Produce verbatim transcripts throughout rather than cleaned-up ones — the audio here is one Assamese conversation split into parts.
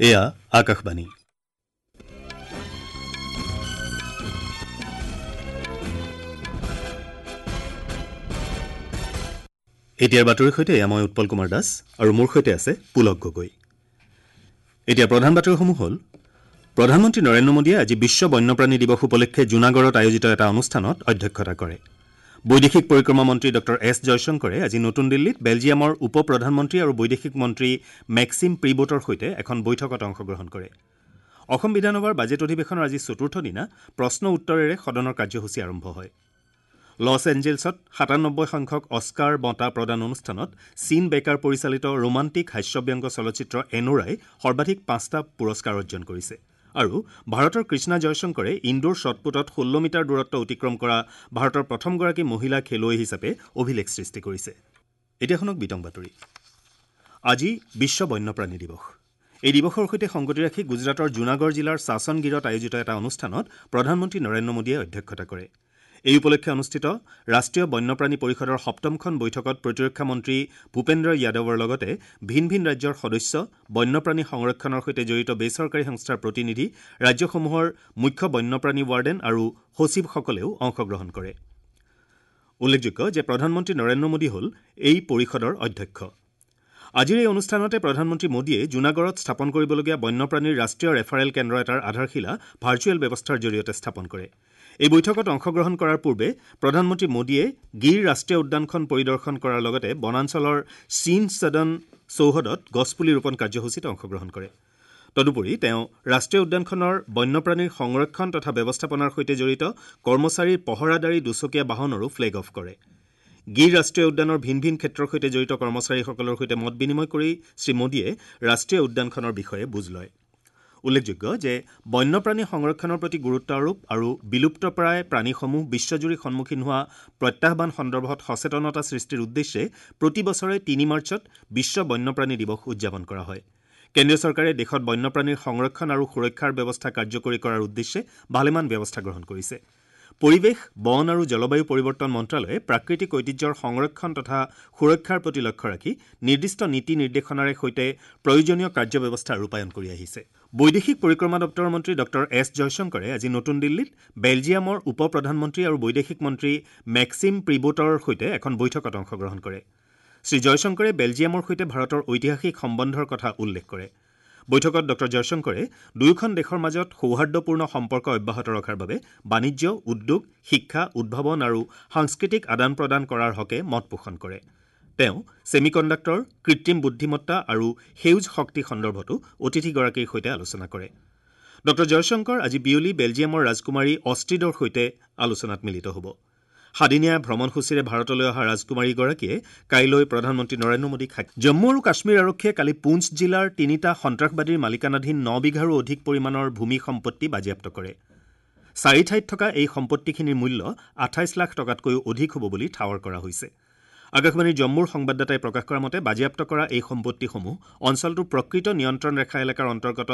এয়া আকাশবাণী। এতিয়াৰ বাতৰিৰ সৈতে এয়া মই উৎপল কুমাৰ দাস আৰু মোৰ সৈতে আছে পুলক গগৈ। এতিয়া প্ৰধান বাতৰিসমূহ হ'ল: প্ৰধানমন্ত্ৰী নৰেন্দ্ৰ মোদীয়ে আজি বিশ্ব বন্যপ্ৰাণী দিৱস উপলক্ষে জুনাগড়ত আয়োজিত এটা অনুষ্ঠানত অধ্যক্ষতা কৰে। বৈদেশিক পৰিক্ৰমা মন্ত্ৰী ডঃ এছ জয়শংকৰে আজি নতুন দিল্লীত বেলজিয়ামৰ উপ প্ৰধানমন্ত্ৰী আৰু বৈদেশিক মন্ত্ৰী মেক্সিম প্ৰিবোটৰ সৈতে এখন বৈঠকত অংশগ্ৰহণ কৰে। অসম বিধানসভাৰ বাজেট অধিৱেশনৰ আজি চতুৰ্থ দিনা প্ৰশ্ন উত্তৰেৰে সদনৰ কাৰ্যসূচী আৰম্ভ হয়। লছ এঞ্জেলছত সাতানব্বৈ সংখ্যক অস্কাৰ বঁটা প্ৰদান অনুষ্ঠানত চীন বেকাৰ পৰিচালিত ৰোমান্টিক হাস্যব্যংগ চলচ্চিত্ৰ এনোৰাই সৰ্বাধিক পাঁচটা পুৰস্কাৰ অৰ্জন কৰিছে। আৰু ভাৰতৰ কৃষ্ণা জয়শংকৰে ইণ্ডোৰ শ্বটপুটত ষোল্ল মিটাৰ দূৰত্ব অতিক্ৰম কৰা ভাৰতৰ প্ৰথমগৰাকী মহিলা খেলুৱৈ হিচাপে অভিলেখ সৃষ্টি কৰিছে। এতিয়া শুনক বিতং বাতৰি। আজি বিশ্ব বন্যপ্ৰাণী দিৱস। এই দিৱসৰ সৈতে সংগতি ৰাখি গুজৰাটৰ জুনাগড় জিলাৰ চাচনগিৰত আয়োজিত এটা অনুষ্ঠানত প্ৰধানমন্ত্ৰী নৰেন্দ্ৰ মোদীয়ে অধ্যক্ষতা কৰে। এই উপলক্ষে অনুষ্ঠিত ৰাষ্ট্ৰীয় বন্যপ্ৰাণী পৰিষদৰ সপ্তমখন বৈঠকত প্ৰতিৰক্ষা মন্ত্ৰী ভূপেন্দ্ৰ যাদৱৰ লগতে ভিন ভিন ৰাজ্যৰ সদস্য, বন্যপ্ৰাণী সংৰক্ষণৰ সৈতে জড়িত বেচৰকাৰী সংস্থাৰ প্ৰতিনিধি, ৰাজ্যসমূহৰ মুখ্য বন্যপ্ৰাণী ৱাৰ্ডেন আৰু সচিবসকলেও অংশগ্ৰহণ কৰে। উল্লেখযোগ্য যে প্ৰধানমন্ত্ৰী নৰেন্দ্ৰ মোদী হ'ল এই পৰিষদৰ অধ্যক্ষ। আজিৰ এই অনুষ্ঠানতে প্ৰধানমন্ত্ৰী মোদীয়ে জুনাগড়ত স্থাপন কৰিবলগীয়া বন্যপ্ৰাণীৰ ৰাষ্ট্ৰীয় ৰেফাৰেল কেন্দ্ৰ এটাৰ আধাৰশিলা ভাৰ্চুৱেল ব্যৱস্থাৰ জৰিয়তে স্থাপন কৰে। এই বৈঠকত অংশগ্ৰহণ কৰাৰ পূৰ্বে প্ৰধানমন্ত্ৰী মোদীয়ে গিৰ ৰাষ্ট্ৰীয় উদ্যানখন পৰিদৰ্শন কৰাৰ লগতে বনাঞ্চলৰ চীন সদন চৌহদত গছপুলি ৰোপণ কাৰ্যসূচীত অংশগ্ৰহণ কৰে। তদুপৰি তেওঁ ৰাষ্ট্ৰীয় উদ্যানখনৰ বন্যপ্ৰাণীৰ সংৰক্ষণ তথা ব্যৱস্থাপনাৰ সৈতে জড়িত কৰ্মচাৰীৰ পহৰাদাৰী দুচকীয়া বাহনৰো ফ্লেগ অফ কৰে। গিৰ ৰাষ্ট্ৰীয় উদ্যানৰ ভিন ভিন ক্ষেত্ৰৰ সৈতে জড়িত কৰ্মচাৰীসকলৰ সৈতে মত বিনিময় কৰি শ্ৰীমোদীয়ে ৰাষ্ট্ৰীয় উদ্যানখনৰ বিষয়ে বুজ লয়। উল্লেখযোগ্য যে বন্যপ্ৰাণী সংৰক্ষণৰ প্ৰতি গুৰুত্ব আৰোপ আৰু বিলুপ্তপ্ৰায় প্ৰাণীসমূহ বিশ্বজুৰি সন্মুখীন হোৱা প্ৰত্যাহ্বান সন্দৰ্ভত সচেতনতা সৃষ্টিৰ উদ্দেশ্যে প্ৰতি বছৰে তিনি মাৰ্চত বিশ্ব বন্যপ্ৰাণী দিৱস উদযাপন কৰা হয়। কেন্দ্ৰীয় চৰকাৰে দেশত বন্যপ্ৰাণীৰ সংৰক্ষণ আৰু সুৰক্ষাৰ ব্যৱস্থা কাৰ্যকৰী কৰাৰ উদ্দেশ্যে ভালেমান ব্যৱস্থা গ্ৰহণ কৰিছে। পৰিৱেশ, বন আৰু জলবায়ু পৰিৱৰ্তন মন্ত্ৰালয়ে প্ৰাকৃতিক ঐতিহ্যৰ সংৰক্ষণ তথা সুৰক্ষাৰ প্ৰতি লক্ষ্য ৰাখি নিৰ্দিষ্ট নীতি নিৰ্দেশনাৰে সৈতে প্ৰয়োজনীয় কাৰ্যব্যৱস্থা ৰূপায়ণ কৰি আহিছে। বৈদেশিক পৰিক্ৰমা দপ্তৰৰ মন্ত্ৰী ডঃ এছ জয়শংকৰে আজি নতুন দিল্লীত বেলজিয়ামৰ উপ প্ৰধানমন্ত্ৰী আৰু বৈদেশিক মন্ত্ৰী মেক্সিম প্ৰিবোটৰ সৈতে এখন বৈঠকত অংশগ্ৰহণ কৰে। শ্ৰী জয়শংকৰে বেলজিয়ামৰ সৈতে ভাৰতৰ ঐতিহাসিক সম্বন্ধৰ কথা উল্লেখ কৰে। বৈঠকত ডঃ জয়শংকৰে দুয়োখন দেশৰ মাজত সৌহাৰ্দ্যপূৰ্ণ সম্পৰ্ক অব্যাহত ৰখাৰ বাবে বাণিজ্য, উদ্যোগ, শিক্ষা, উদ্ভাৱন আৰু সাংস্কৃতিক আদান প্ৰদান কৰাৰ হকে মত পোষণ কৰে। তেওঁ ছেমিকণ্ডাক্টৰ, কৃত্ৰিম বুদ্ধিমত্তা আৰু সেউজ শক্তি সন্দৰ্ভতো অতিথিগৰাকীৰ সৈতে আলোচনা কৰে। ডঃ জয়শংকৰ আজি বিয়লি বেলজিয়ামৰ ৰাজকুমাৰী অষ্ট্ৰিডৰ সৈতে আলোচনাত মিলিত হ'ব। সাদিনীয়া ভ্ৰমণসূচীৰে ভাৰতলৈ অহা ৰাজকুমাৰীগৰাকীয়ে কাইলৈ প্ৰধানমন্ত্ৰী নৰেন্দ্ৰ মোদীক সাক্ষাৎ। জম্মু আৰু কাশ্মীৰ আৰক্ষীয়ে কালি পুঞ্চ জিলাৰ তিনিটা সন্ত্ৰাসবাদীৰ মালিকানাধীন ন বিঘাৰো অধিক পৰিমাণৰ ভূমি সম্পত্তি বাজেয়াপ্ত কৰে। চাৰি ঠাইত থকা এই সম্পত্তিখিনিৰ মূল্য আঠাইছ লাখ টকাতকৈও অধিক হ'ব বুলি ঠাৱৰ কৰা হৈছে। আকাশবাণীৰ জম্মুৰ সংবাদদাতাই প্ৰকাশ কৰা মতে বাজেয়াপ্ত কৰা এই সম্পত্তিসমূহ অঞ্চলটোৰ প্ৰকৃত নিয়ন্ত্ৰণ ৰেখা এলেকাৰ অন্তৰ্গত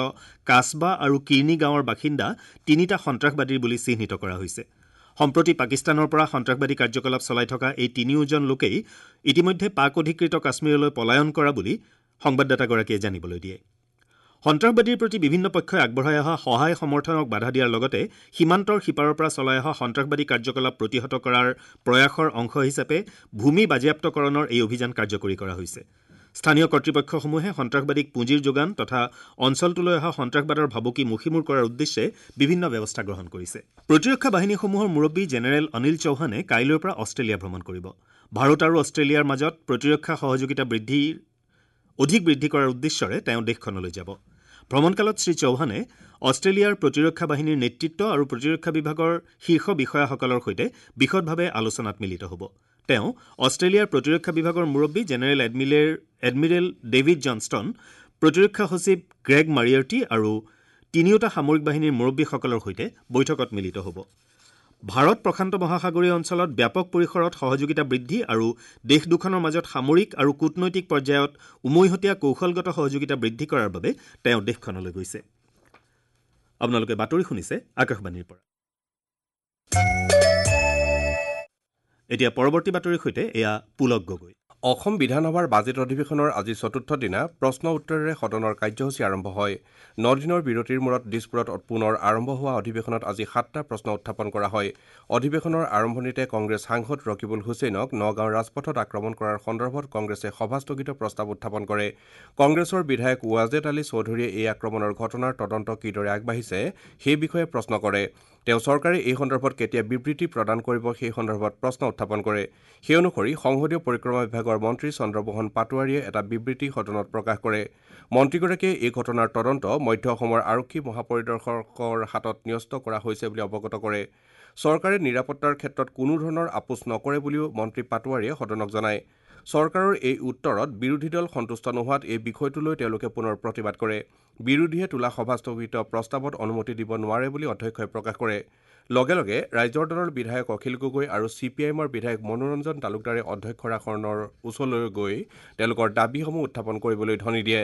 কাছবা আৰু কিৰ্ণি গাঁৱৰ বাসিন্দা তিনিটা সন্ত্ৰাসবাদীৰ বুলি চিহ্নিত কৰা হৈছে। সম্প্ৰতি পাকিস্তানৰ পৰা সন্ত্ৰাসবাদী কাৰ্যকলাপ চলাই থকা এই তিনিওজন লোকেই ইতিমধ্যে পাক অধিকৃত কাশ্মীৰলৈ পলায়ন কৰা বুলি সংবাদদাতাগৰাকীয়ে জানিবলৈ দিয়ে। সন্ত্ৰাসবাদীৰ প্ৰতি বিভিন্ন পক্ষই আগবঢ়াই অহা সহায় সমৰ্থনক বাধা দিয়াৰ লগতে সীমান্তৰ সিপাৰৰ পৰা চলাই অহা সন্ত্ৰাসবাদী কাৰ্যকলাপ প্ৰতিহত কৰাৰ প্ৰয়াসৰ অংশ হিচাপে ভূমি বাজেয়াপ্তকৰণৰ এই অভিযান কাৰ্যকৰী কৰা হৈছে। স্থানীয় কৰ্তৃপক্ষসমূহে সন্ত্ৰাসবাদীক পুঁজিৰ যোগান তথা অঞ্চলটোলৈ অহা সন্ত্ৰাসবাদৰ ভাবুকি মষিমূৰ কৰাৰ উদ্দেশ্যে বিভিন্ন ব্যৱস্থা গ্ৰহণ কৰিছে। প্ৰতিৰক্ষা বাহিনীসমূহৰ মুৰব্বী জেনেৰেল অনিল চৌহানে কাইলৈৰ পৰা অষ্ট্ৰেলিয়া ভ্ৰমণ কৰিব। ভাৰত আৰু অষ্ট্ৰেলিয়াৰ মাজত প্ৰতিৰক্ষা সহযোগিতা বৃদ্ধিৰ অধিক বৃদ্ধি কৰাৰ উদ্দেশ্যৰে তেওঁ দেশখনলৈ যাব। ভ্ৰমণকালত শ্ৰী চৌহানে অষ্ট্ৰেলিয়াৰ প্ৰতিৰক্ষা বাহিনীৰ নেতৃত্ব আৰু প্ৰতিৰক্ষা বিভাগৰ শীৰ্ষ বিষয়াসকলৰ সৈতে বিশদভাৱে আলোচনাত মিলিত হ'ব। তেওঁ অষ্ট্ৰেলিয়াৰ প্ৰতিৰক্ষা বিভাগৰ মুৰব্বী general admiral admiral David Johnston, প্ৰতিৰক্ষা সচিব গ্ৰেগ মাৰিয়াৰ্টি আৰু তিনিওটা সামৰিক বাহিনীৰ মুৰব্বীসকলৰ সৈতে বৈঠকত মিলিত হ'ব। ভাৰত প্ৰশান্ত মহাসাগৰীয় অঞ্চলত ব্যাপক পৰিসৰত সহযোগিতা বৃদ্ধি আৰু দেশ দুখনৰ মাজত সামৰিক আৰু কূটনৈতিক পৰ্যায়ত উমৈহতীয়া কৌশলগত সহযোগিতা বৃদ্ধি কৰাৰ বাবে তেওঁ দেশখনলৈ গৈছে। আপোনালোকে বাতৰি শুনিছে আকাশবাণীৰ পৰা। এতিয়া পৰৱৰ্তী বাতৰিৰ সৈতে এয়া পুলক গগৈ। অসম বিধানসভাৰ বাজেট অধিৱেশনৰ আজি চতুৰ্থ দিনা প্ৰশ্ন উত্তৰেৰে সদনৰ কাৰ্যসূচী আৰম্ভ হয়। ন দিনৰ বিৰতিৰ মূৰত দিছপুৰত পুনৰ আৰম্ভ হোৱা অধিৱেশনত আজি সাতটা প্ৰশ্ন উত্থাপন কৰা হয়। অধিৱেশনৰ আৰম্ভণিতে কংগ্ৰেছ সাংসদ ৰকিবুল হুছেইনক নগাঁৱৰ ৰাজপথত আক্ৰমণ কৰাৰ সন্দৰ্ভত কংগ্ৰেছে সভাস্থগিত প্ৰস্তাৱ উত্থাপন কৰে। কংগ্ৰেছৰ বিধায়ক ৱাজেদ আলী চৌধুৰীয়ে এই আক্ৰমণৰ ঘটনাৰ তদন্ত কিদৰে আগবাঢ়িছে সেই বিষয়ে প্ৰশ্ন কৰে। তেওঁ চৰকাৰে এই সন্দৰ্ভত কেতিয়া বিবৃতি প্ৰদান কৰিব সেই সন্দৰ্ভত প্ৰশ্ন উত্থাপন কৰে। সেই অনুসৰি সংসদীয় পৰিক্ৰমা বিভাগৰ মন্ত্ৰী চন্দ্ৰমোহন পাটোৱাৰীয়ে এটা বিবৃতি সদনত প্ৰকাশ কৰে। মন্ত্ৰীগৰাকীয়ে এই ঘটনাৰ তদন্ত মধ্য অসমৰ আৰক্ষী মহাপৰিদৰ্শকৰ হাতত ন্যস্ত কৰা হৈছে বুলি অৱগত কৰে। চৰকাৰে নিৰাপত্তাৰ ক্ষেত্ৰত কোনো ধৰণৰ আপোচ নকৰে বুলিও মন্ত্ৰী পাটোৱাৰীয়ে সদনক জনায়। চৰকাৰৰ এই উত্তৰত বিৰোধী দল সন্তুষ্ট নোহোৱাত এই বিষয়টো লৈ তেওঁলোকে পুনৰ প্ৰতিবাদ কৰে। বিৰোধীয়ে তোলা সভাস্থগিত প্ৰস্তাৱত অনুমতি দিব নোৱাৰে বুলি অধ্যক্ষই প্ৰকাশ কৰে। লগে লগে ৰাইজৰ দলৰ বিধায়ক অখিল গগৈ আৰু চি পি আই এমৰ বিধায়ক মনোৰঞ্জন তালুকদাৰে অধ্যক্ষৰ আসনৰ ওচৰলৈ গৈ তেওঁলোকৰ দাবীসমূহ উত্থাপন কৰিবলৈ ধ্বনি দিয়ে।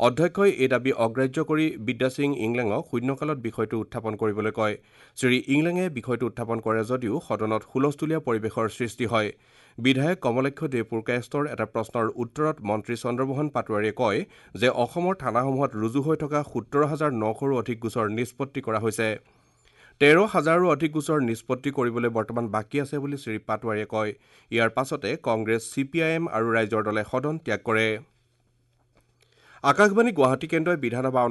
অধ্যক্ষই এই দাবী অগ্ৰাহ্য কৰি বিদ্যাসিং ইংলেঙক শূন্যকালত বিষয়টো উত্থাপন কৰিবলৈ কয়। শ্ৰী ইংলেঙে বিষয়টো উত্থাপন কৰে যদিও সদনত হুলস্থুলীয়া পৰিৱেশৰ সৃষ্টি হয়। বিধায়ক কমলাক্ষ দে পুৰকায়স্থৰ এটা প্ৰশ্নৰ উত্তৰত মন্ত্ৰী চন্দ্ৰমোহন পাটোৱাৰীয়ে কয় যে অসমৰ থানাসমূহত ৰুজু হৈ থকা সোতৰ হাজাৰ নশৰো অধিক গোচৰ নিষ্পত্তি কৰা হৈছে। তেৰ হাজাৰৰো অধিক গোচৰ নিষ্পত্তি কৰিবলৈ বৰ্তমান বাকী আছে বুলি শ্ৰী পাটোৱাৰীয়ে কয়। ইয়াৰ পাছতে Congress, C P I am আৰু ৰাইজৰ দলে সদন ত্যাগ কৰে। আকাশবাণী গুৱাহাটী কেন্দ্ৰই বিধানসভা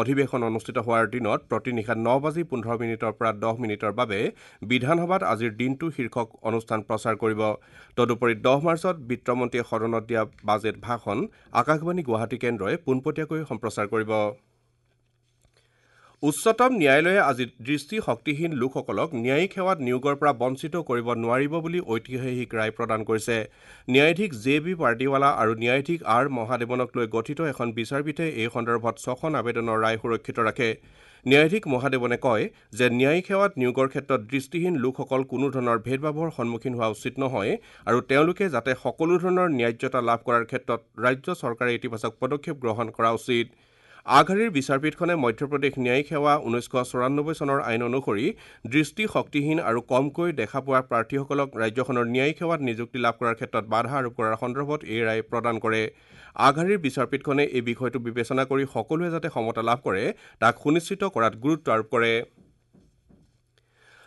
অধিৱেশন অনুষ্ঠিত হোৱাৰ দিনত প্ৰতি নিশা ন বাজি পোন্ধৰ মিনিটৰ পৰা দহ মিনিটৰ বাবে বিধানসভাত আজিৰ দিনটো শীৰ্ষক অনুষ্ঠান প্ৰচাৰ কৰিব। তদুপৰি দহ মাৰ্চত বিত্তমন্ত্ৰীয়ে সদনত দিয়া বাজেট ভাষণ আকাশবাণী গুৱাহাটী কেন্দ্ৰই পোনপটীয়াকৈ সম্প্ৰচাৰ কৰিব। উচ্চতম ন্যায়ালয়ে আজি দৃষ্টিশক্তিহীন লোকসকলক ন্যায়িক সেৱাত নিয়োগৰ পৰা বঞ্চিত কৰিব নোৱাৰিব বুলি ঐতিহাসিক ৰায় প্ৰদান কৰিছে। ন্যায়াধীশ জে বি পাৰ্দিৱালা আৰু ন্যায়াধীশ আৰ মহাদেৱনক লৈ গঠিত এখন বিচাৰপীঠে এই সন্দৰ্ভত ছখন আবেদনৰ ৰায় সুৰক্ষিত ৰাখে। ন্যায়াধীশ মহাদেৱনে কয় যে ন্যায়িক সেৱাত নিয়োগৰ ক্ষেত্ৰত দৃষ্টিহীন লোকসকল কোনো ধৰণৰ ভেদভাৱৰ সন্মুখীন হোৱা উচিত নহয় আৰু তেওঁলোকে যাতে সকলো ধৰণৰ ন্যায্যতা লাভ কৰাৰ ক্ষেত্ৰত ৰাজ্য চৰকাৰে ইতিবাচক পদক্ষেপ গ্ৰহণ কৰা উচিত। আগশাৰীৰ বিচাৰপীঠখনে মধ্যপ্ৰদেশ ন্যায়িক সেৱা ঊনৈছশ চৌৰান্নব্বৈ চনৰ আইন অনুসৰি দৃষ্টিশক্তিহীন আৰু কমকৈ দেখা পোৱা প্ৰাৰ্থীসকলক ৰাজ্যখনৰ ন্যায়িক সেৱাত নিযুক্তি লাভ কৰাৰ ক্ষেত্ৰত বাধা আৰোপ কৰাৰ সন্দৰ্ভত এই ৰায় প্ৰদান কৰে। আগশাৰীৰ বিচাৰপীঠখনে এই বিষয়টো বিবেচনা কৰি সকলোৱে যাতে সমতা লাভ কৰে তাক সুনিশ্চিত কৰাত গুৰুত্ব আৰোপ কৰে।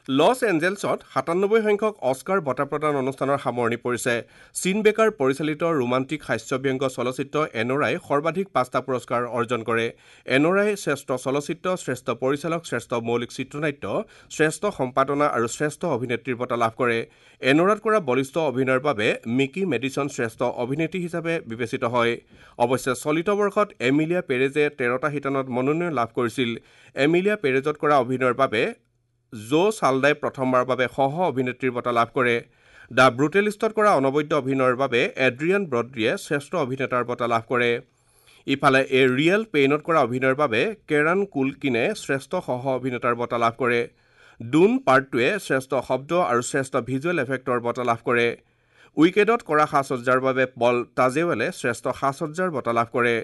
লছ এঞ্জেলছত সাতান্নব্বৈ সংখ্যক অস্কাৰ বঁটা প্ৰদান অনুষ্ঠানৰ সামৰণি পৰিছে। চিন বেকাৰ পৰিচালিত ৰোমান্টিক হাস্যব্যংগ চলচ্চিত্ৰ এনৰাই সৰ্বাধিক পাঁচটা পুৰস্কাৰ অৰ্জন কৰে। এনৰাই শ্ৰেষ্ঠ চলচ্চিত্ৰ, শ্ৰেষ্ঠ পৰিচালক, শ্ৰেষ্ঠ মৌলিক চিত্ৰনাট্য, শ্ৰেষ্ঠ সম্পাদনা আৰু শ্ৰেষ্ঠ অভিনেত্ৰীৰ বঁটা লাভ কৰে। এনৰাত কৰা বলিষ্ঠ অভিনয়ৰ বাবে মিকি মেডিছন শ্ৰেষ্ঠ অভিনেত্ৰী হিচাপে বিবেচিত হয়। অৱশ্যে চলিত বৰ্ষত এমিলিয়া পেৰেজে তেৰটা শিতানত মনোনয়ন লাভ কৰিছিল। এমিলিয়া পেৰেজত কৰা অভিনয়ৰ বাবে জো চালদাই প্ৰথমবাৰৰ বাবে সহ অভিনেত্ৰীৰ বঁটা লাভ কৰে। The ব্ৰুটেলিষ্টত কৰা অনবদ্য অভিনয়ৰ বাবে এড্ৰিয়ান ব্ৰড্ৰিয়ে শ্ৰেষ্ঠ অভিনেতাৰ বঁটা লাভ কৰে। ইফালে এ ৰিয়েল পেইনত কৰা অভিনয়ৰ বাবে কেৰান কুলকিনে শ্ৰেষ্ঠ সহ অভিনেতাৰ বঁটা লাভ কৰে। ডুন পাৰ্ট টুৱে শ্ৰেষ্ঠ শব্দ আৰু শ্ৰেষ্ঠ ভিজুৱেল এফেক্টৰ বঁটা লাভ কৰে। উইকেটত কৰা সাজসজ্জাৰ বাবে পল তাজেৱেলে শ্ৰেষ্ঠ সাজসজ্জাৰ বঁটা লাভ কৰে।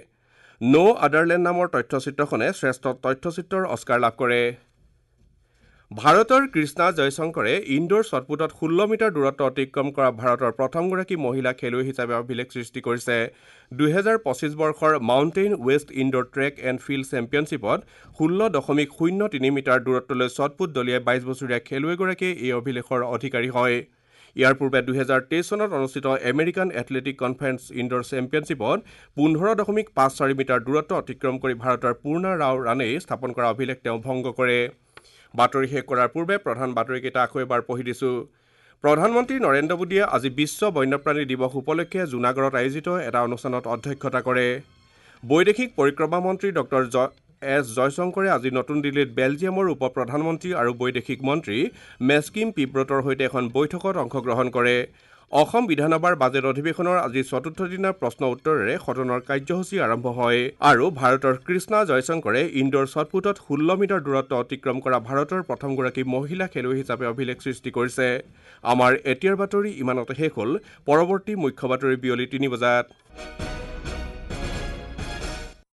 ন' আদাৰলেণ্ড নামৰ তথ্যচিত্ৰখনে শ্ৰেষ্ঠ তথ্যচিত্ৰৰ অস্কাৰ লাভ কৰে। ভাৰতৰ কৃষ্ণা জয়শংকৰে ইণ্ডোৰ শ্বটপুটত ষোল্ল মিটাৰ দূৰত্ব অতিক্ৰম কৰা ভাৰতৰ প্ৰথমগৰাকী মহিলা খেলুৱৈ হিচাপে অভিলেখ সৃষ্টি কৰিছে। দুহেজাৰ পঁচিছ বৰ্ষৰ Mountain West indoor track and field চেম্পিয়নশ্বিপত ষোল্ল দশমিক শূন্য তিনি মিটাৰ দূৰত্বলৈ শ্বটপুট দলিয়াই বাইছ বছৰীয়া খেলুৱৈগৰাকীয়ে এই অভিলেখৰ অধিকাৰী হয়। ইয়াৰ পূৰ্বে দুহেজাৰ তেইছ চনত অনুষ্ঠিত আমেৰিকান এথলেটিক কনফাৰেন্স ইণ্ডোৰ চেম্পিয়নশ্বিপত পোন্ধৰ দশমিক পাঁচ চাৰি মিটাৰ দূৰত্ব অতিক্ৰম কৰি ভাৰতৰ পূৰ্ণা ৰাও ৰাণেই স্থাপন কৰা অভিলেখ তেওঁ ভংগ কৰে। বাতৰি শেষ কৰাৰ পূৰ্বে প্ৰধান বাতৰিকেইটা আকৌ এবাৰ পঢ়ি দিছোঁ। প্ৰধানমন্ত্ৰী নৰেন্দ্ৰ মোদীয়ে আজি বিশ্ব বন্যপ্ৰাণী দিৱস উপলক্ষে জুনাগড়ত আয়োজিত এটা অনুষ্ঠানত অধ্যক্ষতা কৰে। বৈদেশিক পৰিক্ৰমা মন্ত্ৰী ডক্টৰ এছ জয়শংকৰে আজি নতুন দিল্লীত বেলজিয়ামৰ উপ প্ৰধানমন্ত্ৰী আৰু বৈদেশিক মন্ত্ৰী মেস্কিম পিব্ৰটৰ সৈতে এখন বৈঠকত অংশগ্ৰহণ কৰে। অসম বিধানসভাৰ বাজেট অধিৱেশনৰ আজি চতুৰ্থ দিনাৰ প্ৰশ্ন উত্তৰেৰে সদনৰ কাৰ্যসূচী আৰম্ভ হয়। আৰু ভাৰতৰ কৃষ্ণা জয়শংকৰে ইণ্ডোৰ শ্বটপুটত ষোল্ল মিটাৰ দূৰত্ব অতিক্ৰম কৰা ভাৰতৰ প্ৰথমগৰাকী মহিলা খেলুৱৈ হিচাপে অভিলেখ সৃষ্টি কৰিছে। আমাৰ এতিয়াৰ বাতৰি ইমানতে শেষ হ'ল। পৰৱৰ্তী মুখ্য বাতৰি বিয়লি তিনি বজাত।